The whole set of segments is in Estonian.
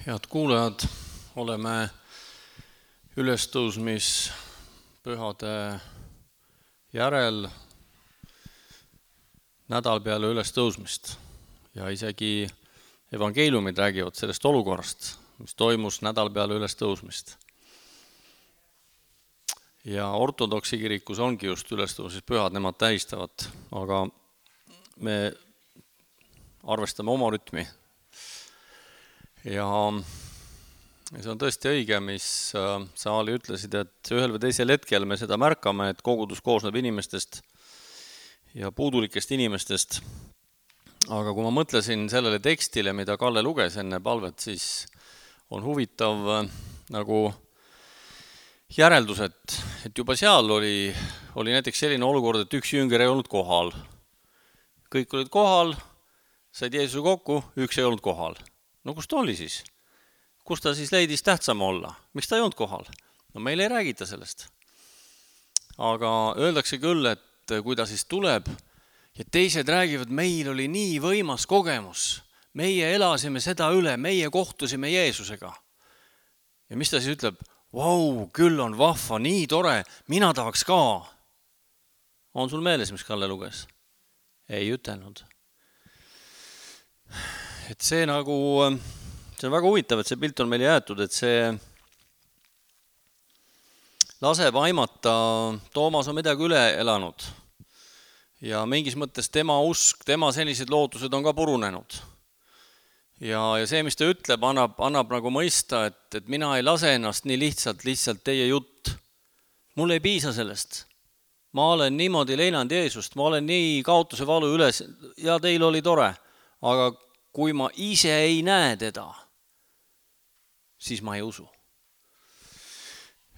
Head kuulajad, oleme ülestõusmispühade järel nädal peale ülestõusmist ja isegi evangeeliumid räägivad sellest olukorrast, mis toimus nädal peale ülestõusmist. Ja ortodoksi kirikus ongi just ülestõusmispühad, nemad tähistavad, aga me arvestame oma rütmi. Ja see on tõesti õige, mis sa Ali ütlesid, et ühel või teisel hetkel me seda märkame, et kogudus koosneb inimestest ja puudulikest inimestest. Aga kui ma mõtlesin sellele tekstile, mida Kalle luges enne palvet, siis on huvitav nagu järeldus, et juba seal oli näiteks selline olukord, et üks jünger ei olnud kohal. Kõik olid kohal, said Jeesuse kokku, üks ei olnud kohal. No kus ta oli siis? Kus ta siis leidis tähtsam olla? Miks ta ei olnud kohal? No meil ei räägita sellest. Aga öeldakse küll, et kui ta siis tuleb ja teised räägivad, meil oli nii võimas kogemus. Meie elasime seda üle, meie kohtusime Jeesusega. Ja mis ta siis ütleb? Vau, küll on vahva, nii tore, mina tahaks ka. On sul meeles, mis Kalle luges? Ei ütelnud. Et see on väga huvitav, et see pilt on meile jäetud, et see laseb aimata, Toomas on midagi üle elanud ja mingis mõttes tema usk, tema sellised lootused on ka purunenud. Ja see, mis ta ütleb, annab nagu mõista, et mina ei lase ennast nii lihtsalt teie jutt. Mul ei piisa sellest. Ma olen niimoodi leinanud Jeesust, ma olen nii kaotuse valu üles ja teil oli tore, aga kui ma ise ei näe teda, siis ma ei usu.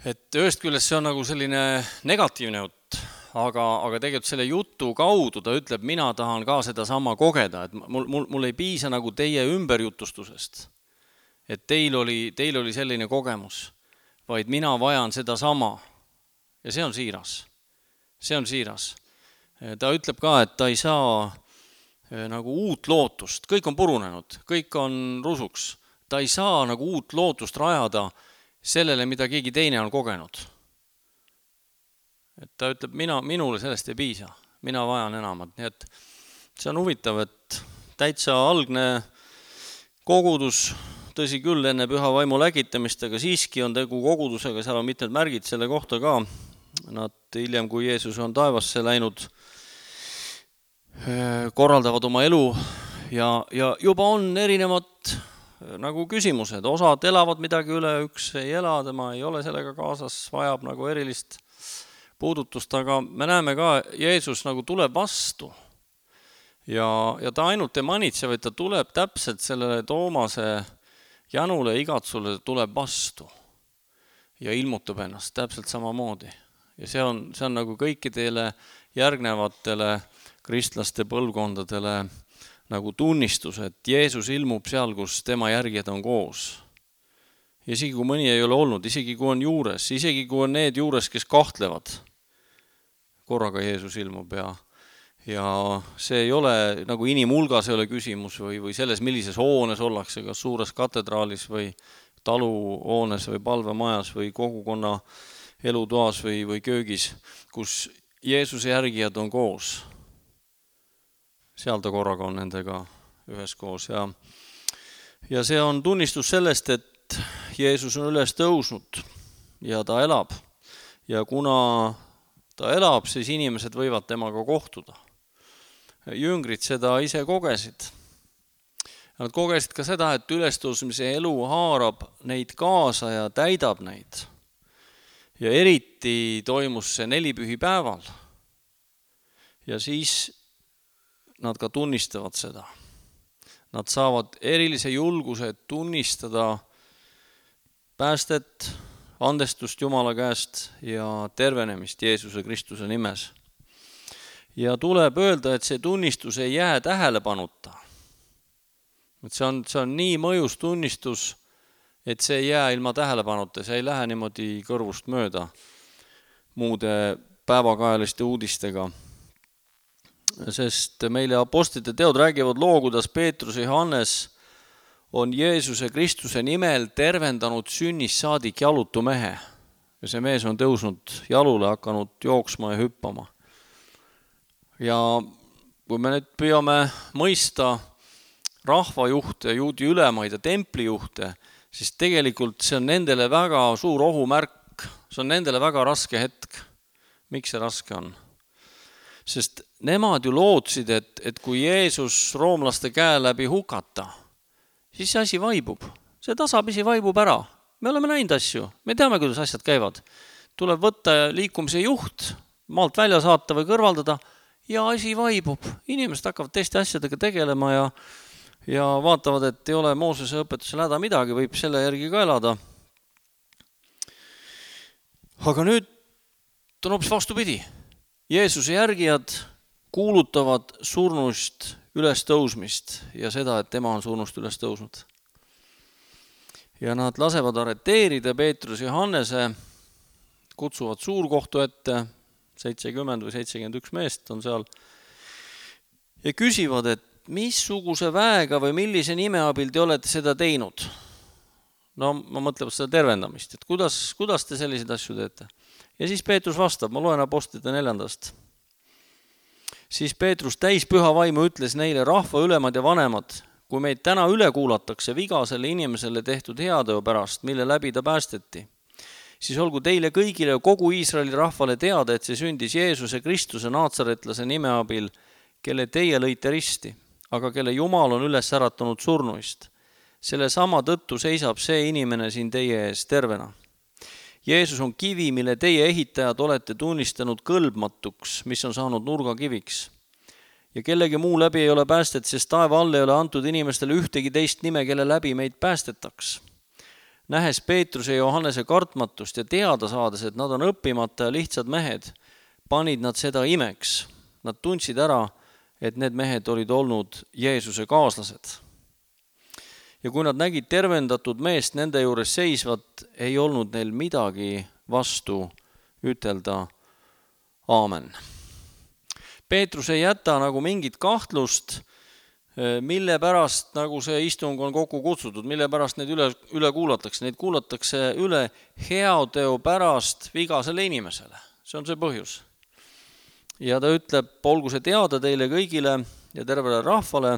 Et ühest küljest see on nagu selline negatiivne jutt, aga tegelikult selle jutu kaudu ta ütleb, mina tahan ka seda sama kogeda, et mul ei piisa nagu teie ümberjutustusest, et teil oli selline kogemus, vaid mina vajan seda sama. Ja see on siiras. See on siiras. Ta ütleb ka, et ta ei saa nagu uut lootust, kõik on purunenud, kõik on rusuks. Ta ei saa nagu uut lootust rajada sellele, mida keegi teine on kogenud. Et ta ütleb, minule sellest ei piisa, mina vajan enamat. Nii et see on huvitav, et täitsa algne kogudus, tõsi küll enne püha vaimu lägitamist, aga siiski on tegu kogudusega, seal on mitmed märgid selle kohta ka. Nad hiljem, kui Jeesus on taevasse läinud, korraldavad oma elu ja juba on erinevad nagu küsimused. Osad elavad midagi üle, üks ei ela, tema ei ole sellega kaasas, vajab nagu erilist puudutust, aga me näeme ka, Jeesus nagu tuleb vastu ja ta ainult ei manitse, vaid ta tuleb täpselt sellele Toomase janule igatsule tuleb vastu ja ilmutab ennast täpselt samamoodi. Ja see on nagu kõikidele järgnevatele kristlaste põlvkondadele nagu tunnistus, et Jeesus ilmub seal, kus tema järgijad on koos. Ja isegi kui mõni ei ole olnud, isegi kui on juures, isegi kui on need juures, kes kahtlevad, korraga Jeesus ilmub ja see ei ole nagu inimhulgas ei ole küsimus või selles, millises hoones ollakse, kas suures katedraalis või taluhoones või palvemajas või kogukonna elutoas või köögis, kus Jeesuse järgijad on koos. Seal ta korraga on nendega üheskoos ja see on tunnistus sellest, et Jeesus on üles tõusnud ja ta elab. Ja kuna ta elab, siis inimesed võivad temaga kohtuda. Jüngrid seda ise kogesid. Nad kogesid ka seda, et ülestõusmise elu haarab neid kaasa ja täidab neid. Ja eriti toimus see 4 pühipäeval. Ja siis nad ka tunnistavad seda. Nad saavad erilise julguse tunnistada päästet, andestust Jumala käest ja tervenemist Jeesuse Kristuse nimes. Ja tuleb öelda, et see tunnistus ei jää tähelepanuta. Et see on nii mõjus tunnistus, et see ei jää ilma tähelepanuta, see ei lähe niimoodi kõrvust mööda muude päevakajaliste uudistega. Sest meile apostlite teod räägivad loo, kuidas Peetrus ja Johannes on Jeesuse Kristuse nimel tervendanud sünnist saadik jalutu mehe. Ja see mees on tõusnud jalule, hakanud jooksma ja hüppama. Ja kui me nüüd püüame mõista rahvajuhte, juudi ülemaid ja templijuhte, siis tegelikult see on nendele väga suur ohumärk, see on nendele väga raske hetk. Miks see raske on? Sest nemad ju lootsid, et kui Jeesus roomlaste käe läbi hukata, siis see asi vaibub. See tasapisi vaibub ära. Me oleme näinud asju. Me teame, kuidas asjad käivad. Tuleb võtta liikumise juht, maalt välja saata või kõrvaldada ja asi vaibub. Inimesed hakkavad teiste asjadega tegelema ja vaatavad, et ei ole Moosese õpetusel häda midagi, võib selle järgi ka elada. Aga nüüd on hoopis vastupidi. Jeesuse järgijad kuulutavad surnust üles tõusmist ja seda, et tema on surnust üles tõusnud. Ja nad lasevad arreteerida Peetrus ja Johannese, kutsuvad suurkohtu ette, 70 või 71 meest on seal, ja küsivad, et missuguse väega või millise nime abil te olete seda teinud? No ma mõtlen seda tervendamist, et kuidas te selliseid asju teete? Ja siis Peetrus vastab, ma loen Apostlite 4. Siis Peetrus täis püha vaimu ütles neile, rahva ülemad ja vanemad, kui meid täna üle kuulatakse vigasele inimesele tehtud heateo pärast, mille läbi ta päästeti, siis olgu teile kõigile kogu Iisraeli rahvale teada, et see sündis Jeesuse Kristuse naatsaretlase nime abil, kelle teie lõite risti, aga kelle Jumal on üles äratanud surnuist. Selle sama tõttu seisab see inimene siin teie ees tervena. Jeesus on kivi, mille teie ehitajad olete tunnistanud kõlbmatuks, mis on saanud nurgakiviks. Ja kellegi muu läbi ei ole päästet, sest taeva all ei ole antud inimestele ühtegi teist nime, kelle läbi meid päästetaks. Nähes Peetruse ja Johannese kartmatust ja teada saades, et nad on õppimata ja lihtsad mehed, panid nad seda imeks. Nad tundsid ära, et need mehed olid olnud Jeesuse kaaslased. Ja kui nad nägid tervendatud meest nende juures seisvat, ei olnud neil midagi vastu ütelda aamen. Peetrus ei jäta nagu mingit kahtlust, mille pärast nagu see istung on kokku kutsutud, mille pärast neid üle kuulatakse. Neid kuulatakse üle heateo pärast vigasele inimesele. See on see põhjus. Ja ta ütleb, olgu see teada teile kõigile ja tervele rahvale,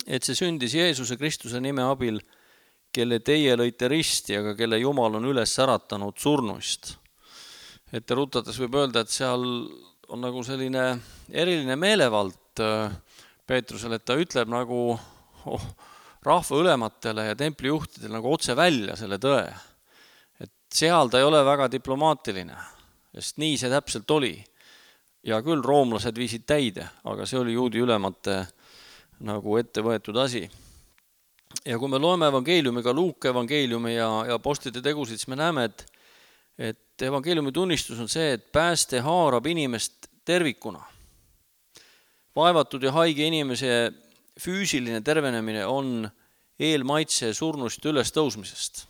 et see sündis Jeesuse Kristuse nime abil, kelle teie lõite risti, aga kelle Jumal on üles äratanud surnuist. Et rutates võib öelda, et seal on nagu selline eriline meelevald Peetrusel, et ta ütleb nagu rahva ülematele ja templijuhtidele nagu otse välja selle tõe. Et seal ta ei ole väga diplomaatiline, sest nii see täpselt oli. Ja küll roomlased viisid täide, aga see oli juudi ülemate nagu ette võetud asi. Ja kui me loeme evangeeliumi, ka Luuka evangeeliumi ja apostlite tegusid, siis me näeme, et evangeeliumi tunnistus on see, et pääste haarab inimest tervikuna. Vaevatud ja haige inimese füüsiline tervenemine on eelmaitse surnust üles tõusmisest.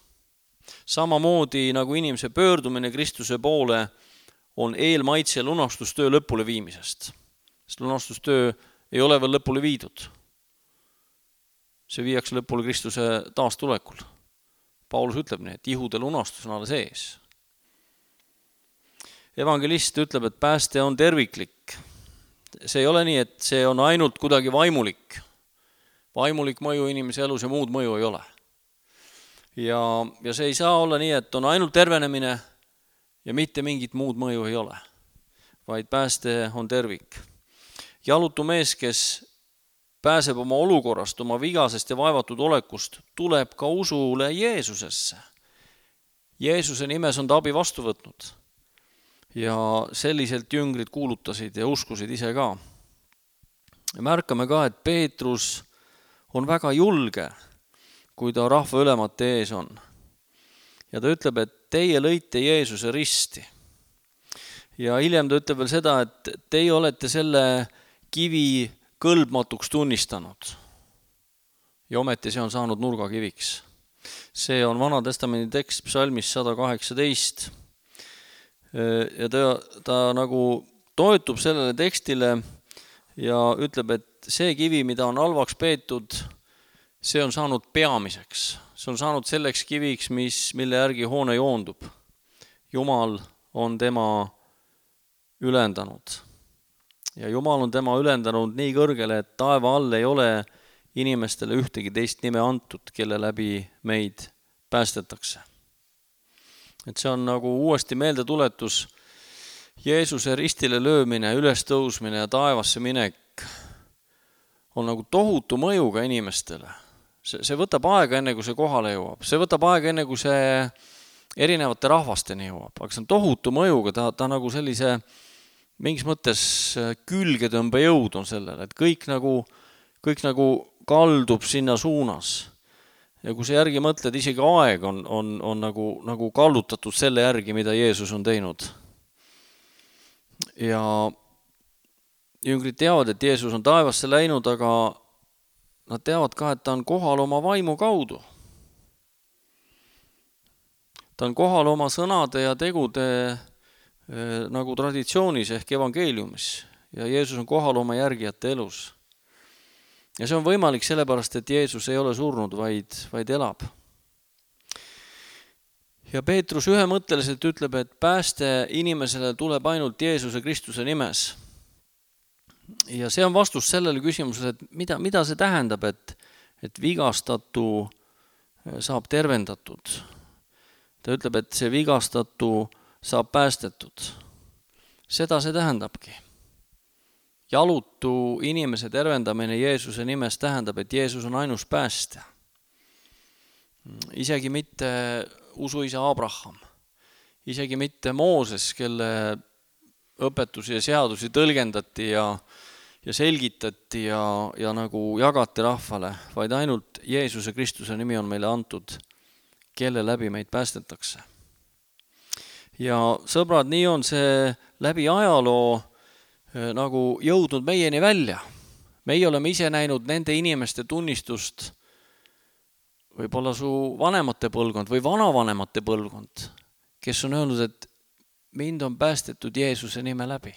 Samamoodi nagu inimese pöördumine Kristuse poole on eelmaitse lunastustöö lõpule viimisest. Sest lunastustöö ei ole veel lõpule viidud. See viiakse lõpule Kristuse taastulekul. Paulus ütleb nii, et ihude lunastus on alles ees. Evangelist ütleb, et pääste on terviklik. See ei ole nii, et see on ainult kuidagi vaimulik. Vaimulik mõju inimese elus ja muud mõju ei ole. Ja see ei saa olla nii, et on ainult tervenemine ja mitte mingit muud mõju ei ole. Vaid pääste on tervik. Jalutu mees, kes pääseb oma olukorrast, oma vigasest ja vaevatud olekust, tuleb ka usule Jeesusesse. Jeesuse nimes on ta abi vastu võtnud. Ja selliselt jüngrid kuulutasid ja uskusid ise ka. Ja märkame ka, et Peetrus on väga julge, kui ta rahva ülemate ees on. Ja ta ütleb, et teie lõite Jeesuse risti. Ja hiljem ta ütleb veel seda, et teie olete selle kivi kõlbmatuks tunnistanud. Ja ometi see on saanud nurgakiviks. See on Vana Testamendi tekst psalmis 118. Ja ta nagu toetub sellele tekstile ja ütleb, et see kivi, mida on halvaks peetud, see on saanud peamiseks. See on saanud selleks kiviks, mille järgi hoone joondub. Jumal on tema ülendanud. Ja Jumal on tema ülendanud nii kõrgele, et taeva all ei ole inimestele ühtegi teist nime antud, kelle läbi meid päästetakse. Et see on nagu uuesti meeldetuletus, Jeesuse ristile löömine, ülestõusmine ja taevasse minek on nagu tohutu mõjuga inimestele. See võtab aega enne, kui see kohale jõuab. See võtab aega enne, kui see erinevate rahvasteni jõuab. Aga see on tohutu mõjuga, ta nagu sellise mingis mõttes külgetõmbejõud on sellele, et kõik nagu kaldub sinna suunas. Ja kui sa järgi mõtled, isegi aeg on nagu kallutatud selle järgi, mida Jeesus on teinud. Ja jüngrid teavad, et Jeesus on taevasse läinud, aga nad teavad ka, et ta on kohal oma vaimu kaudu. Ta on kohal oma sõnade ja tegude nagu traditsioonis ehk evangeeliumis. Ja Jeesus on kohal oma järgijate elus. Ja see on võimalik sellepärast, et Jeesus ei ole surnud, vaid elab. Ja Peetrus ühemõtteliselt ütleb, et pääste inimesele tuleb ainult Jeesuse Kristuse nimes. Ja see on vastus sellele küsimusele, et mida see tähendab, et vigastatu saab tervendatud. Ta ütleb, et see vigastatu saab päästetud. Seda see tähendabki. Jalutu inimese tervendamine Jeesuse nimes tähendab, et Jeesus on ainus päästja. Isegi mitte usuisa Abraham, isegi mitte Mooses, kelle õpetusi ja seadusi tõlgendati ja selgitati ja nagu jagati rahvale, vaid ainult Jeesuse Kristuse nimi on meile antud, kelle läbi meid päästetakse. Ja sõbrad, nii on see läbi ajaloo nagu jõudnud meieni välja. Meie oleme ise näinud nende inimeste tunnistust, võib-olla su vanemate põlvkond või vanavanemate põlvkond, kes on öelnud, et mind on päästetud Jeesuse nime läbi.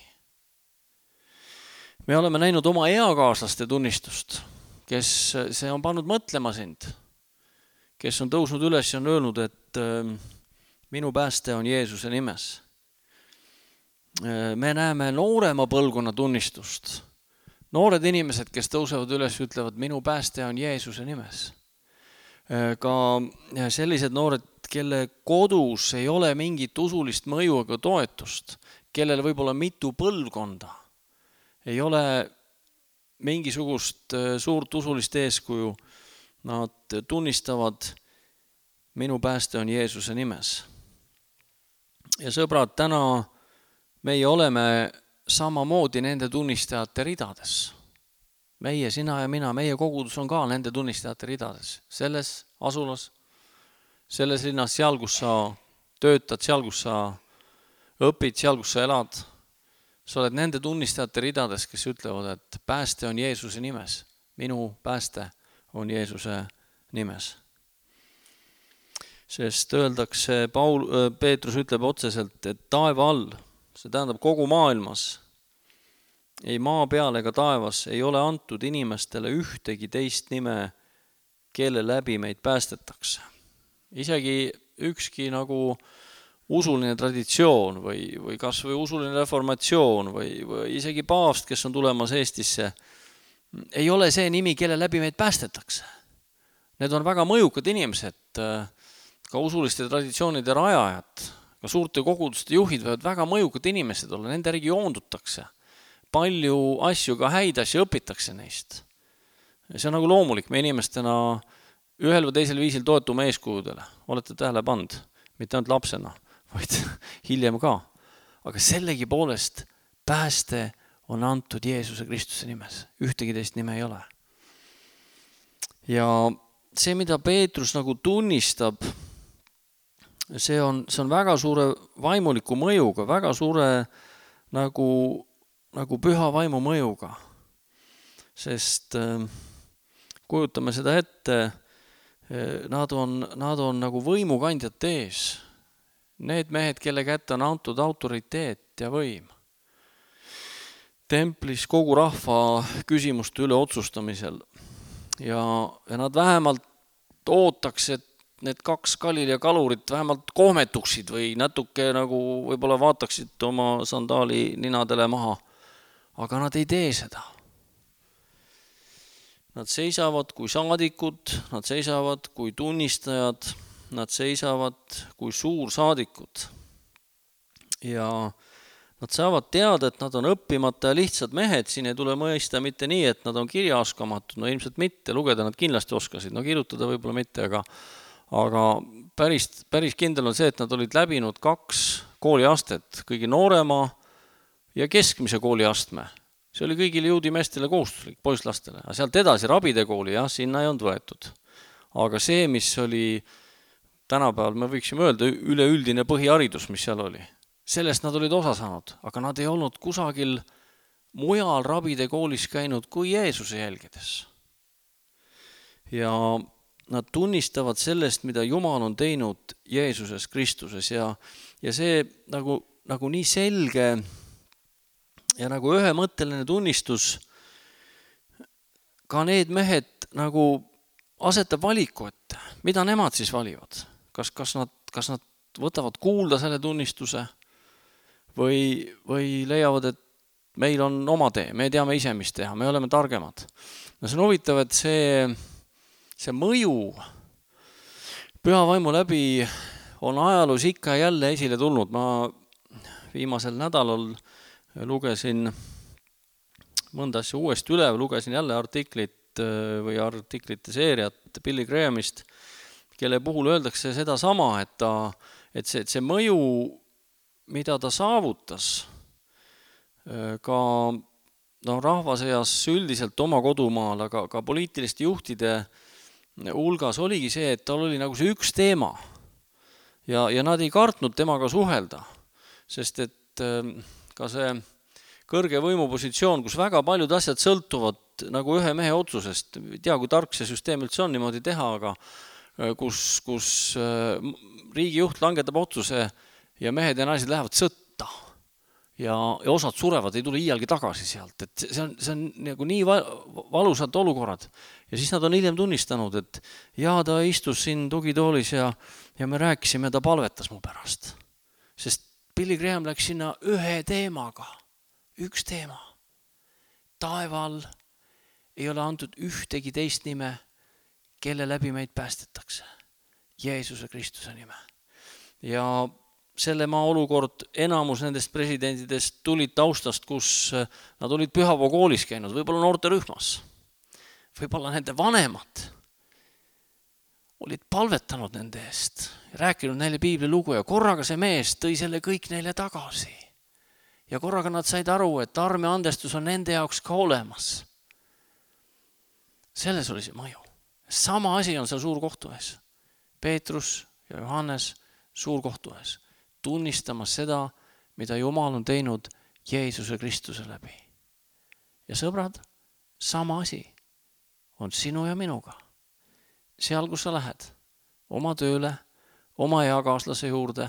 Me oleme näinud oma eakaaslaste tunnistust, kes see on pannud mõtlema sind, kes on tõusnud üles ja on öelnud, et minu pääste on Jeesuse nimes. Me näeme noorema põlvkonna tunnistust. Noored inimesed, kes tõusevad üles, ütlevad, minu pääste on Jeesuse nimes. Ka sellised noored, kelle kodus ei ole mingit usulist mõju ega toetust, kellel võib olla mitu põlvkonda, ei ole mingisugust suurt usulist eeskuju, nad tunnistavad, minu pääste on Jeesuse nimes. Ja sõbrad, täna meie oleme samamoodi nende tunnistajate ridades. Meie, sina ja mina, meie kogudus on ka nende tunnistajate ridades. Selles asulas, selles linnas, seal, kus sa töötad, seal, kus sa õpid, seal, kus sa elad. Sa oled nende tunnistajate ridades, kes ütlevad, et pääste on Jeesuse nimes. Minu pääste on Jeesuse nimes. Sest öeldakse, Peetrus ütleb otseselt, et taeva all, see tähendab kogu maailmas, ei maa peal ega taevas ei ole antud inimestele ühtegi teist nime, kelle läbi meid päästetakse. Isegi ükski nagu usuline traditsioon või kas või usuline reformatsioon või isegi paavst, kes on tulemas Eestisse, ei ole see nimi, kelle läbi meid päästetakse. Need on väga mõjukad inimesed, ka usuliste traditsioonide rajajad, ka suurte koguduste juhid võivad väga mõjukad inimesed olla, nende järgi joondutakse. Palju asju, ka häid asju õpitakse neist. See on nagu loomulik, me inimestena ühel või teisel viisil toetume eeskujudele. Olete tähele pannud, mitte ainult lapsena, vaid hiljem ka. Aga sellegi poolest pääste on antud Jeesuse Kristuse nimes. Ühtegi teist nime ei ole. Ja see, mida Peetrus nagu tunnistab, see on väga suure vaimuliku mõjuga, väga suure nagu püha vaimu mõjuga. Sest kujutame seda ette, nad on nagu võimukandjate ees. Need mehed, kelle kätte on antud autoriteet ja võim. Templis kogu rahva küsimuste üle otsustamisel. ja nad vähemalt ootaks, et need 2 Galilea kalurit vähemalt kohmetuksid või natuke nagu võib-olla vaataksid oma sandaali ninadele maha. Aga nad ei tee seda. Nad seisavad kui saadikud, nad seisavad kui tunnistajad, nad seisavad kui suursaadikud. Ja nad saavad teada, et nad on õppimata ja lihtsad mehed, siin ei tule mõista mitte nii, et nad on kirjaoskamatud, no ilmselt mitte, lugeda nad kindlasti oskasid, no kirjutada võib-olla mitte, aga päris kindel on see, et nad olid läbinud 2 kooliastet, kõige noorema ja keskmise kooliastme. See oli kõigile juudimeestele kohustuslik, poisslastele, aga sealt edasi rabide kooli, jah, sinna ei olnud võetud. Aga see, mis oli tänapäeval, me võiksime öelda, üleüldine põhiharidus, mis seal oli, sellest nad olid osa saanud, aga nad ei olnud kusagil mujal rabide koolis käinud kui Jeesuse jälgides. Ja nad tunnistavad sellest, mida Jumal on teinud Jeesuses Kristuses ja see nagu nii selge ja nagu ühemõtteline tunnistus ka need mehed nagu asetab valiku ette, mida nemad siis valivad. Kas nad võtavad kuulda selle tunnistuse või leiavad, et meil on oma tee, me teame ise, mis teha, me oleme targemad. No see on huvitav, et see mõju püha vaimu läbi on ajaloos ikka jälle esile tulnud. Ma viimasel nädalal lugesin mõnda asja uuesti üle, lugesin jälle artiklite seeriat Billy Grahamist, kelle puhul öeldakse seda sama, et see mõju, mida ta saavutas ka rahvasõjas üldiselt oma kodumaal, aga ka poliitiliste juhtide hulgas oligi see, et tal oli nagu see üks teema ja nad ei kartnud temaga suhelda, sest et ka see kõrge võimupositsioon, kus väga paljud asjad sõltuvad nagu ühe mehe otsusest, ei tea, kui tark see süsteem üldse on niimoodi teha, aga kus riigijuht langetab otsuse ja mehed ja naised lähevad sõtta ja osad surevad, ei tule iialgi tagasi sealt, et see on nagu nii valusad olukorrad ja siis nad on hiljem tunnistanud, et ta istus siin tugitoolis ja me rääkisime, ta palvetas mu pärast, sest Billy Graham läks sinna ühe teemaga, üks teema. Taeval ei ole antud ühtegi teist nime, kelle läbi meid päästetakse. Jeesuse Kristuse nime. Ja selle maa olukord, enamus nendest presidentidest tulid taustast, kus nad olid Pühavoo koolis käinud, võib-olla noorterühmas, võib-olla nende vanemad olid palvetanud nende eest, rääkinud neile piibli lugu ja korraga see mees tõi selle kõik neile tagasi. Ja korraga nad said aru, et arm ja andestus on nende jaoks ka olemas. Selles oli see mõju. Sama asi on seal suurkohtu ees. Peetrus ja Johannes suurkohtu ees, tunnistamas seda, mida Jumal on teinud Jeesuse Kristuse läbi. Ja sõbrad, sama asi on sinu ja minuga. Seal, kus sa lähed, oma tööle, oma eakaaslase juurde,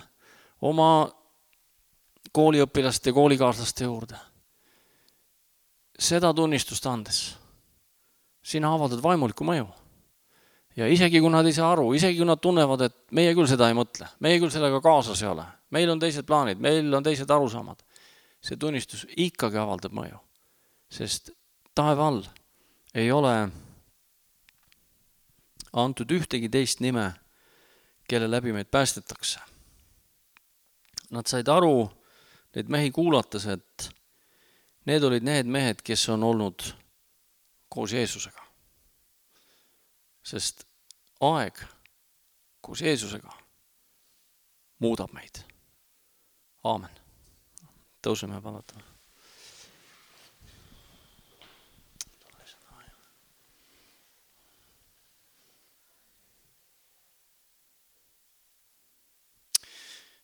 oma kooliõpilaste ja koolikaaslaste juurde. Seda tunnistust andes, sina avaldad vaimuliku mõju. Ja isegi kui nad ei saa aru, isegi kui nad tunnevad, et meie küll seda ei mõtle, meie küll sellega kaasas ei ole, meil on teised plaanid, meil on teised arusaamad, see tunnistus ikkagi avaldab mõju, sest taeva all ei ole antud ühtegi teist nime, kelle läbi meid päästetakse. Nad said aru, neid mehi kuulates, et need olid need mehed, kes on olnud koos Jeesusega. Sest aeg koos Jeesusega muudab meid. Aamen. Tõuseme ja palatame.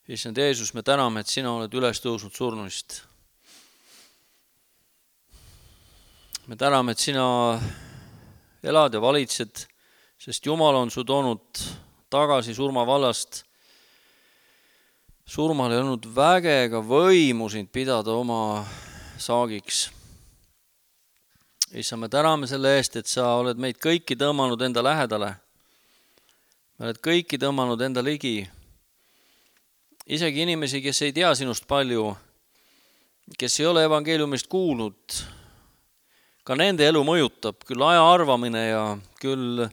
Issand Jeesus, me täname, et sina oled üles tõusnud surnuist. Me täname, et sina elad ja valitsed, sest Jumal on su toonud tagasi surmavallast. Surmal ei olnud vägega võimu sind pidada oma saagiks. issand, me täname selle eest, et sa oled meid kõiki tõmmanud enda lähedale. Me oled kõiki tõmmanud enda ligi. Isegi inimesi, kes ei tea sinust palju, kes ei ole evangeeliumist kuulnud, ka nende elu mõjutab küll aja arvamine ja küll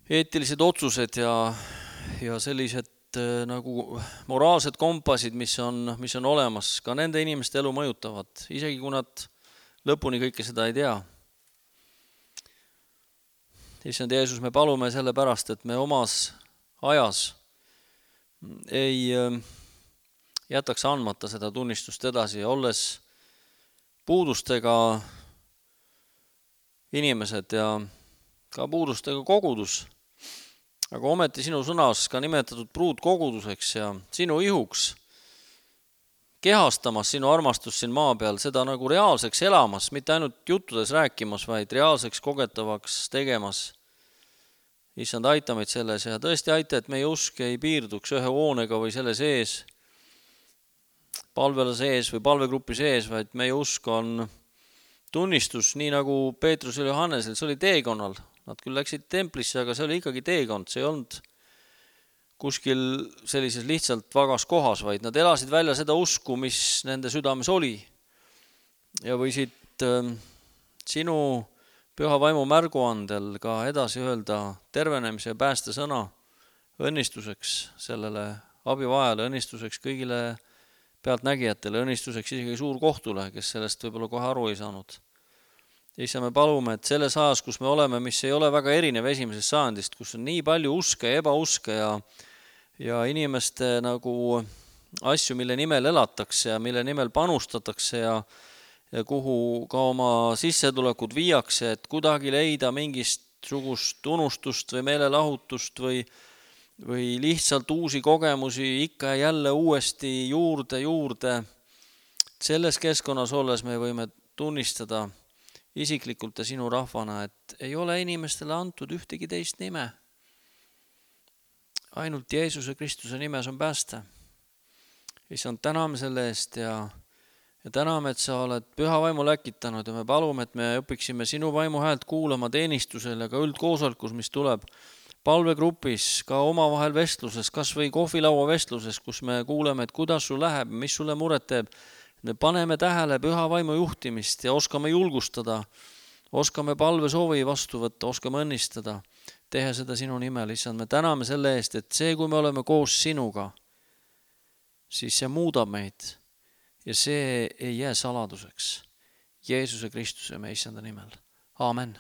eetilised otsused ja sellised nagu moraalsed kompassid, mis on olemas, ka nende inimeste elu mõjutavad, isegi kui nad lõpuni kõike seda ei tea. Issand Jeesus, me palume selle pärast, et me omas ajas ei jätaks andmata seda tunnistust edasi, olles puudustega inimesed ja ka puudustega kogudus, aga ometi sinu sõnas ka nimetatud pruutkoguduseks ja sinu ihuks, kehastamas sinu armastust siin maa peal, seda nagu reaalseks elamas, mitte ainult juttudes rääkimas, vaid reaalseks kogetavaks tegemas. Issand, aita meid selles ja tõesti aita, et meie usk ei piirduks ühe hoonega või selle sees, palvela sees või palvegrupi sees, vaid meie usk on tunnistus, nii nagu Peetrusel ja Johannesel, see oli teekonnal. Nad küll läksid templisse, aga see oli ikkagi teekond, see ei olnud kuskil sellises lihtsalt vagas kohas, vaid nad elasid välja seda usku, mis nende südames oli. Ja võisid sinu püha vaimu märguandel ka edasi öelda tervenemise ja pääste sõna õnnistuseks sellele abivajale, õnnistuseks kõigile pealtnägijatele, õnnistuseks isegi suurkohtule, kes sellest võib-olla kohe aru ei saanud. Issa, me palume, et selles ajas, kus me oleme, mis ei ole väga erinev esimesest sajandist, kus on nii palju uske ja ebauske ja inimeste nagu asju, mille nimel elatakse ja mille nimel panustatakse ja kuhu ka oma sissetulekud viiakse, et kuidagi leida mingisugust unustust või meelelahutust või lihtsalt uusi kogemusi ikka ja jälle uuesti juurde. Selles keskkonnas olles me võime tunnistada isiklikult ja sinu rahvana, et ei ole inimestele antud ühtegi teist nime. Ainult Jeesuse Kristuse nimes on pääste. Issand, täname selle eest ja täname, et sa oled püha vaimu läkitanud ja me palume, et me õpiksime sinu vaimu häält kuulama teenistusel ja ka üldkoosolkus, mis tuleb palvegrupis, ka omavahel vestluses, kas või kohvilaua vestluses, kus me kuuleme, et kuidas sul läheb, mis sulle muret teeb. Me paneme tähele püha vaimu juhtimist ja oskame julgustada, oskame palvesoovi vastu võtta, oskame õnnistada, teha seda sinu nimel. Issand, me täname selle eest, et see, kui me oleme koos sinuga, siis see muudab meid ja see ei jää saladuseks. Jeesuse Kristuse me issanda nimel. Aamen.